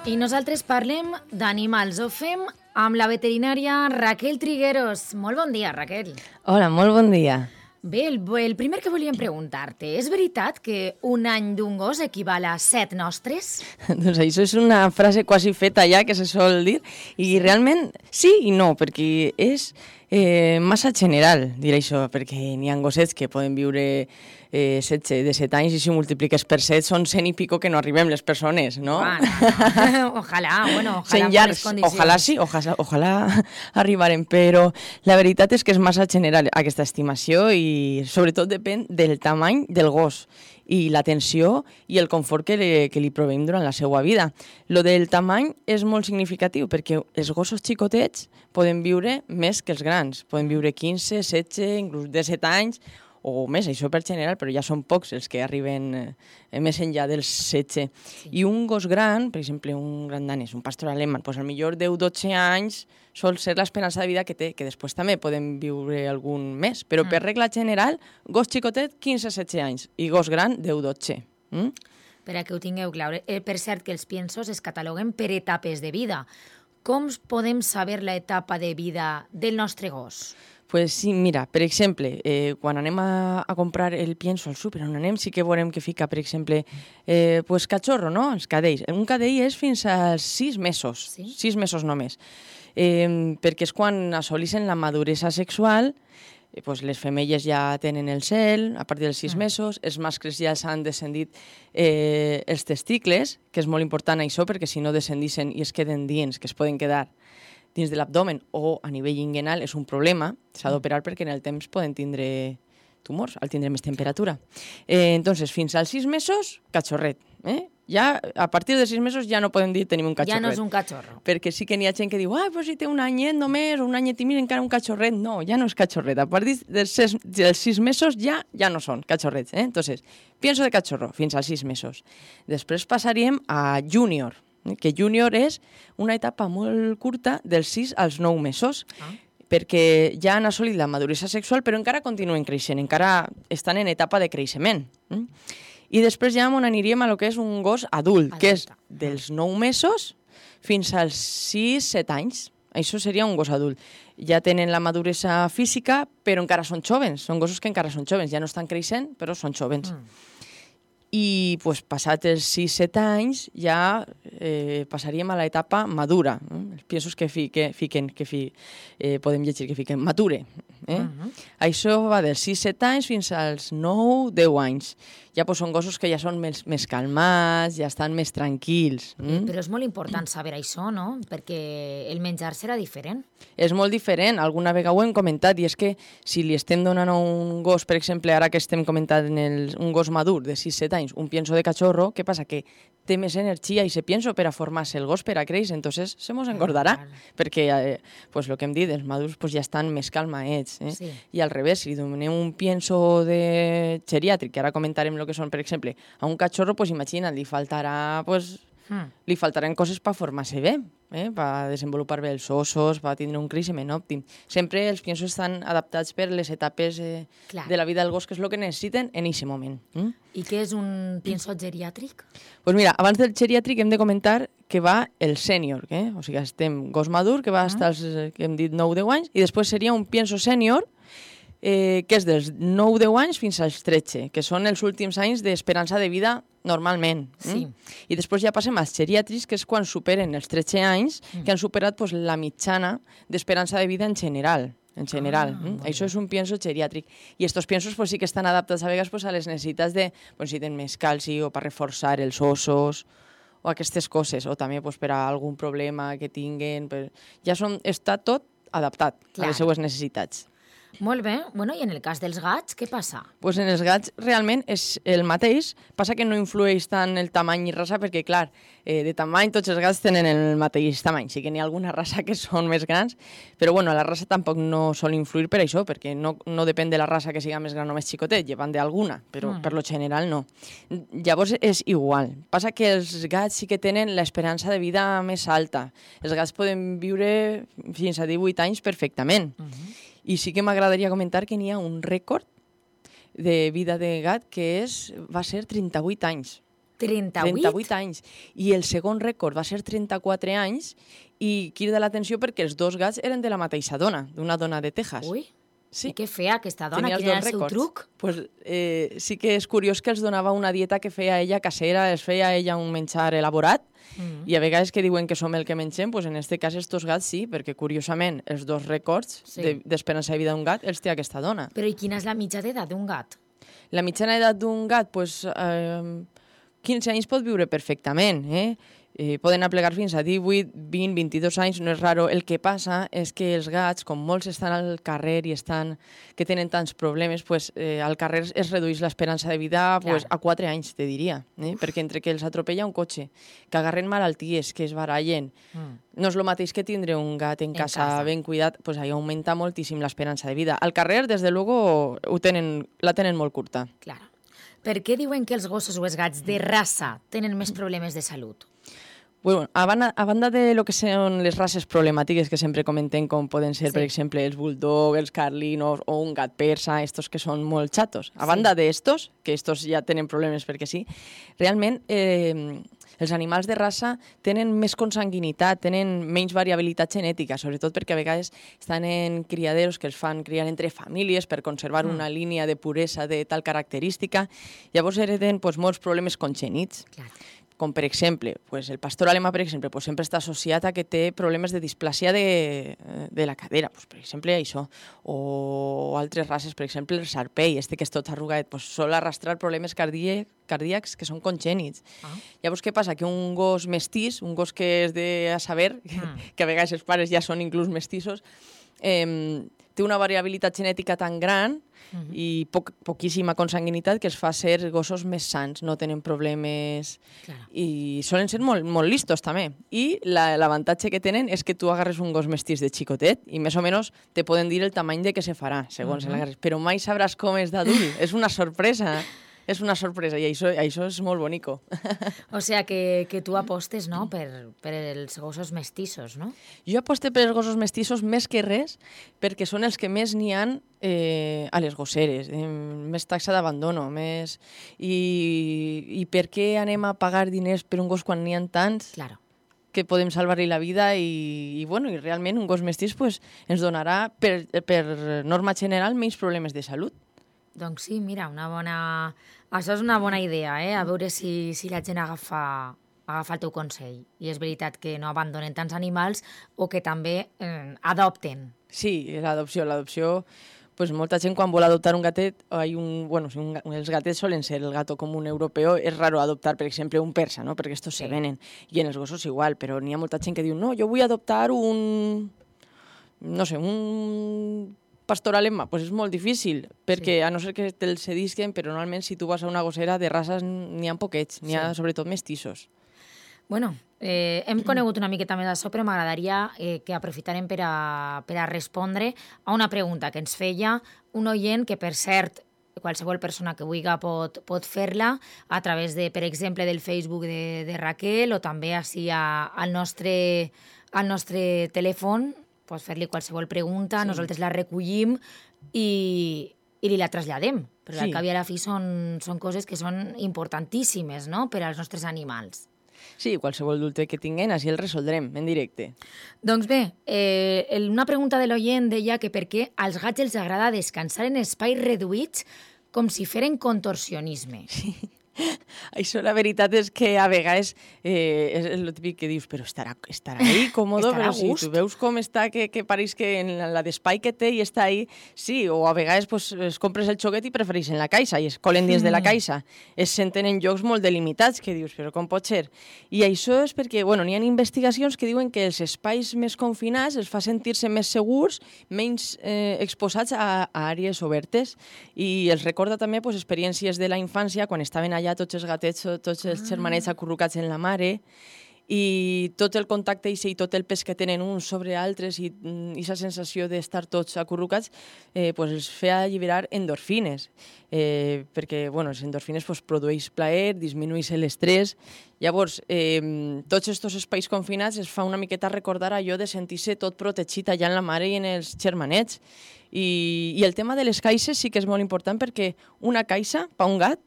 I nosaltres parlem d'animals. Ho fem amb la veterinària Raquel Trigueros. Molt bon dia, Raquel. Hola, molt bon dia. Bé, el primer que volíem preguntar-te, és veritat que un any d'un gos equival a 7 nostres? Doncs això és una frase quasi feta ja, que se sol dir, i realment sí i no, perquè és massa general dir això, perquè n'hi ha gossets que poden viure 7 anys i si multipliques per 7 són 100 i pico que no arribem les persones, no? Ojalà, bueno, ojalà en bones condicions. Ojalà sí, ojalà arribarem, però la veritat és que és massa general aquesta estimació i sobretot depèn del tamany del gos i l'atenció i el confort que li provem durant la seva vida. Lo del tamany és molt significatiu perquè els gossos xicotets poden viure més que els grans. Poden viure 15, 16, inclús 17 anys o més, això per general, però ja són pocs els que arriben més enllà dels 16. I un gos gran, per exemple, un gran danès, un pastor alemany, doncs potser 10-12 anys sol ser l'esperança de vida que té, que després també poden viure algun més, però per regla general, gos xicotet 15-16 anys i gos gran 10-12. Per a que ho tingueu clar. Per cert que els piensos es cataloguen per etapes de vida. Com podem saber l'etapa de vida del nostre gos? Pues sí, mira, per exemple, quan anem a comprar el pienso al súper, on anem sí que veurem que fica, per exemple, pues cachorro, no? Els cadells. Un cadell és fins als 6 mesos, sí? 6 mesos només, perquè és quan assoleixen la maduresa sexual. Pues les femelles ja tenen el cel a partir dels 6 mesos, els mascles ja s'han descendit els testicles, que és molt important això, perquè si no descendixen i es queden dins, que es poden quedar dins de l'abdomen o a nivell inguinal, és un problema, s'ha d'operar perquè en el temps poden tindre tumors, al tindre més temperatura. Entonces, fins als 6 mesos, cachorret. Ja, a partir de 6 mesos ja no podem dir tenim un cachorret. Ja no és un cachorro. Perquè sí que n'hi ha gent que diu, però si té un anyet només, o un anyet i mig, encara un cachorret. No, ja no és cachorret. A partir dels 6 mesos ja no són cachorrets. Entonces, pienso de cachorro, fins als 6 mesos. Després passaríem a júnior, que júnior és una etapa molt curta dels 6 als 9 mesos, perquè ja han assolit la maduresa sexual, però encara continuen creixent, encara estan en etapa de creixement. I després ja aniríem a lo que és un gos adult, que és dels 9 mesos fins als 6-7 anys. Això seria un gos adult. Ja tenen la maduresa física, però encara són jovens. Són gossos que encara són jovens. Ja no estan creixent, però són jovens. I pues, passats els 6-7 anys ja passaríem a l'etapa madura. Els piensos que podem llegir que fiquen mature. Això va dels 6-7 anys fins als 9-10 anys. Ja pues, són gossos que ja són més calmats, ja estan més tranquils. Però és molt important saber això, no? Perquè el menjar serà diferent. És molt diferent, alguna vegada ho hem comentat, i és que si li estem donant a un gos, per exemple, ara que estem comentant un gos madur de 6-7 anys, un pienso de cachorro, què passa? Que té més energia i se pienso per a formar-se el gos per a créixer, entonces se mos engordarà, perquè pues, el que hem dit, els madurs pues, ja estan més calmaets. Sí. I al revés, si li donem un pienso de geriàtric, que ara comentarem el que són, per exemple, a un cachorro, pues, imagina't, li faltaran coses per formar-se bé, per desenvolupar bé els ossos, per tindre un creixement òptim. Sempre els piensos estan adaptats per les etapes de la vida del gos, que és el que necessiten en aquest moment. I què és un pienso geriàtric? Pues mira, abans del geriàtric hem de comentar que va el sènior, o sigui, estem gos madur, que va estar, que hem dit, 9-10 anys, i després seria un pienso sènior, que és dels 9-10 anys fins als 13, que són els últims anys d'esperança de vida normalment. Sí. I després ja passem als geriàtrics, que és quan superen els 13 anys, que han superat pues, la mitjana d'esperança de vida en general. Això és un pienso geriàtric. I aquests piensos pues, sí que estan adaptats a vegades pues, a les necessitats de pues, si tenen més calci o per reforçar els ossos o aquestes coses, o també pues, per a algun problema que tinguen. Ja està tot adaptat a les seues necessitats. Molt bé. Bueno, i en el cas dels gats, què passa? Pues en els gats realment és el mateix, passa que no influeix tant el tamany i raça, perquè clar, de tamany tots els gats tenen el mateix tamany, sí que n'hi ha alguna raça que són més grans, però bueno, la raça tampoc no sol influir per això, perquè no depèn de la raça que siga més gran o més xicotet, llevant d'alguna, però per lo general no. Llavors és igual, passa que els gats sí que tenen l'esperança de vida més alta, els gats poden viure fins a 18 anys perfectament. I sí que m'agradaria comentar que n'hi ha un rècord de vida de gat que va ser 38 anys. 38? 38 anys. I el segon rècord va ser 34 anys i crida l'atenció perquè els dos gats eren de la mateixa dona, d'una dona de Texas. Ui, Sí. i què feia aquesta dona? Tenia els Quin era dos el seu rècords. truc? Pues, sí que és curiós que els donava una dieta que feia ella casera, es feia ella un menjar elaborat, i a vegades que diuen que som el que mengem, pues en este cas estos gats sí, perquè curiosament els dos rècords d'esperança de vida d'un gat els té aquesta dona. Però i quina és la mitja d'edat d'un gat? La mitjana edat d'un gat, pues, 15 anys pot viure perfectament, poden aplegar fins a 18, 20, 22 anys, no és raro. El que passa és que els gats, com molts estan al carrer i que tenen tants problemes, pues, al carrer es redueix l'esperança de vida pues, a 4 anys, te diria, perquè entre que els atropella un cotxe, que agarren malalties, que es barallen, no és el mateix que tindre un gat en casa ben cuidat, pues ahí augmenta moltíssim l'esperança de vida. Al carrer, des de luego, la tenen molt curta. Claro. Per què diuen que els gossos o els gats de raça tenen més problemes de salut? Bueno, a banda de lo que són les races problemàtiques que sempre comentem, com poden ser, per exemple, els bulldog, els carlinos o un gat persa, estos que són molt xatos. A banda d'estos, que estos ja tenen problemes perquè sí, realment els animals de raça tenen més consanguinitat, tenen menys variabilitat genètica, sobretot perquè a vegades estan en criaderos que els fan criar entre famílies per conservar una línia de puresa de tal característica. Llavors hereden molts problemes congènits. Clar. Com, per exemple, el pastor alemà, per exemple, sempre està associat a que té problemes de displàsia de la cadera, per exemple, això. O altres races, per exemple, el sarpei, que és tot arrugat, sol arrastrar problemes cardíacs que són congènits. Llavors, què passa? Que un gos mestís, un gos que és de a saber, que a vegades els pares ja són inclús mestissos, té una variabilitat genètica tan gran i poquíssima consanguinitat que els fa ser gossos més sants, no tenen problemes i solen ser molt, molt listos també. I l'avantatge que tenen és que tu agarres un gos mestís de xicotet i més o menys te poden dir el tamany de què se farà, segons l'agarres, però mai sabràs com és d'adult, és una sorpresa. És una sorpresa i això és molt bonico. O sea que tu apostes, no?, per els gossos mestissos, no? Jo aposte per els gossos mestissos més que res perquè són els que més n'hi han a les gosseres, més taxa d'abandono, més... I per què anem a pagar diners per un gos quan n'hi ha tants? Claro. Que podem salvar-li la vida i realment un gos mestís ens donarà, per norma general, menys problemes de salut. Doncs sí, mira, això és una bona idea, a veure si la gent agafa el teu consell. I és veritat que no abandonen tants animals o que també adopten. Sí, l'adopció, molta gent quan vol adoptar un gatet, els gatets solen ser el gato común europeu, és raro adoptar, per exemple, un persa, no? Perquè estos se venen, i en els gossos igual, però n'hi ha molta gent que diu, no, jo vull adoptar un pastor alemà, és molt difícil, perquè a no ser que te'l cedisquen, però normalment si tu vas a una gossera de races n'hi ha poquets, n'hi ha sobretot mestissos. Bueno, hem conegut una miqueta més d'això, però m'agradaria que aprofitarem per a respondre a una pregunta que ens feia un oient que, per cert, qualsevol persona que vulgui pot fer-la a través, per exemple, del Facebook de Raquel o també així al nostre telèfon. Pots fer-li qualsevol pregunta, nosaltres la recollim i li la traslladem. Però al cap i a la fi són coses que són importantíssimes, no?, per als nostres animals. Sí, qualsevol dubte que tinguin, així el resoldrem en directe. Doncs bé, una pregunta de l'oient deia que per què als gats els agrada descansar en espais reduïts com si feren contorsionisme. Sí. Això la veritat és que a vegades és el típic que dius, però estarà ahí còmodo, però si tu veus com està, que pareix que en la d'espai que té i està ahí, sí, o a vegades es compres el xoguet i prefereixen la caixa i es colen dins de la caixa. Es senten en llocs molt delimitats que dius, però com pot ser? I això és perquè, n'hi ha investigacions que diuen que els espais més confinats els fa sentir-se més segurs, menys exposats a àrees obertes i els recorda també experiències de la infància quan estaven allà tots els gatets, tots els germanets acurrucats en la mare i tot el contacte i tot el pes que tenen uns sobre altres i aquesta sensació d'estar tots acurrucats els feia alliberar endorfines perquè les endorfines produeix plaer, disminueix l'estrès. Llavors, tots aquests espais confinats es fa una miqueta recordar allò de sentir-se tot protegit allà en la mare i en els germanets. I el tema de les caixes sí que és molt important perquè una caixa, per un gat,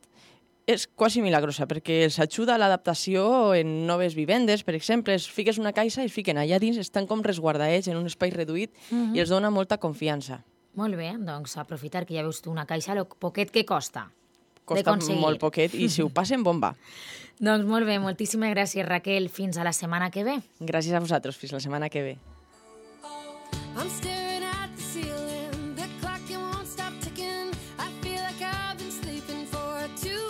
és quasi milagrosa, perquè els ajuda a l'adaptació en noves vivendes. Per exemple, es fiques una caixa i es fiquen allà dins, estan com resguardats en un espai reduït i els dona molta confiança. Molt bé, doncs aprofitar que ja veus tu una caixa, el poquet que costa. Costa molt poquet i si ho passen, bomba. Doncs molt bé, moltíssimes gràcies, Raquel. Fins a la setmana que ve. Gràcies a vosaltres. Fins la setmana que ve. I'm staring